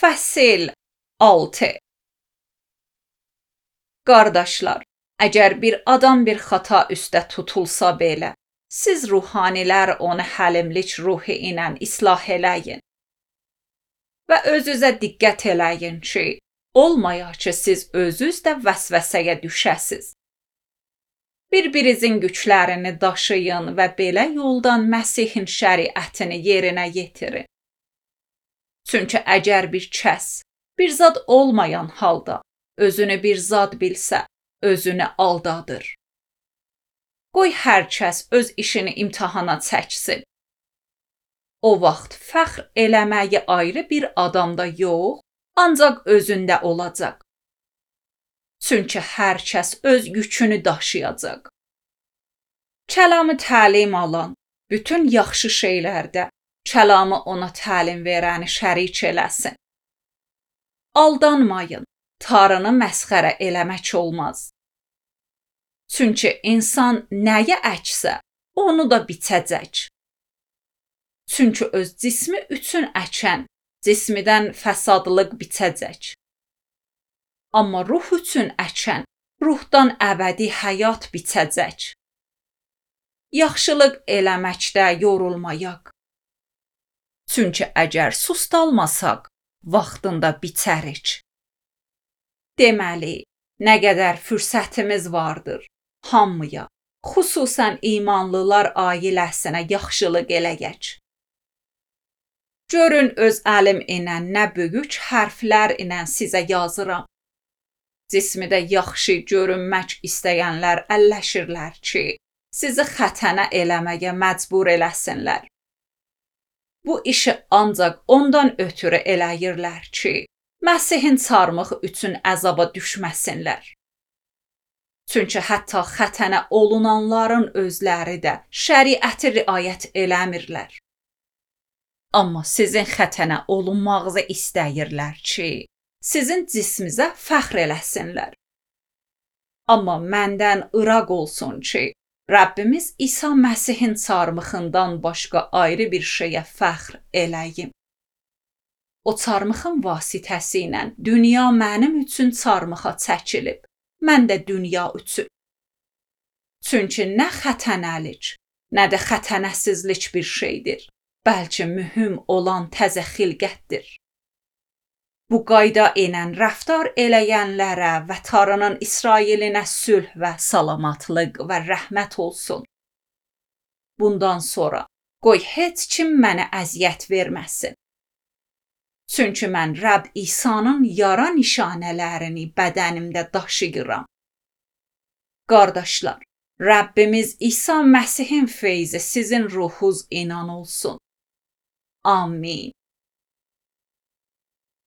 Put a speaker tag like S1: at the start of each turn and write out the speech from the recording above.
S1: Fəsil 6. Qardaşlar, əgər bir adam bir xata üstə tutulsa belə, siz ruhanilər onu həlimlik ruhi ilə islah eləyin. Və özünüzə diqqət eləyin ki, olmaya ki siz özünüz də vəsvəsəyə düşəsiz. Bir-birinizin güclərini daşıyın və belə yoldan Məsihin şəriətini yerinə yetirin. Çünki əgər bir kəs bir zad olmayan halda özünü bir zad bilsə, özünü aldadır. Qoy hər kəs öz işini imtahana çəksin. O vaxt fəxr eləməyi ayrı bir adamda yox, ancaq özündə olacaq. Çünki hər kəs öz yükünü daşıyacaq. Kəlamı təlim alan, bütün yaxşı şeylərdə kəlamı ona təlim verəni şərik eləsin. Aldanmayın, Tanrını məsxərə eləmək olmaz. Çünki insan nəyə əksə, onu da biçəcək. Çünki öz cismi üçün əkən, cismidən fəsadlıq biçəcək. Amma ruh üçün əkən, ruhdan əbədi həyat biçəcək. Yaxşılıq eləməkdə yorulmayaq. Çünki əgər sustalmasaq, vaxtında biçərik. Deməli, nə qədər fürsətimiz vardır, hamıya, xüsusən imanlılar ailəsinə yaxşılıq eləyək. Görün öz əlim ilə nə böyük hərflər ilə sizə yazıram. Cismidə yaxşı görünmək istəyənlər əlləşirlər ki, sizi xətənə eləməyə məcbur eləsinlər. Bu işi ancaq ondan ötürü eləyirlər ki, Məsihin çarmığı üçün əzaba düşməsinlər. Çünki hətta xətənə olunanların özləri də şəriəti riayət eləmirlər. Amma sizin xətənə olunmağınızı istəyirlər ki, sizin cismizə fəxr eləsinlər. Amma məndən ıraq olsun ki, Rəbbimiz İsa Məsihin çarmıxından başqa ayrı bir şeyə fəxr eləyim. O çarmıxın vasitəsi ilə dünya mənim üçün çarmıxa çəkilib, mən də dünya üçün. Çünki nə xətənəlik, nə də xətənəsizlik bir şeydir, bəlkə mühüm olan təzə xilqətdir. Bu qayda ilə rəftar eləyənlərə və Tanrının İsrailinə sülh və salamatlıq və rəhmət olsun. Bundan sonra qoy heç kim mənə əziyyət verməsin. Çünki mən Rəbb İsa'nın yara nişanələrini bədənimdə daşıyıram. Qardaşlar, Rəbbimiz İsa Məsihin feyzi sizin ruhunuz inan olsun. Amin.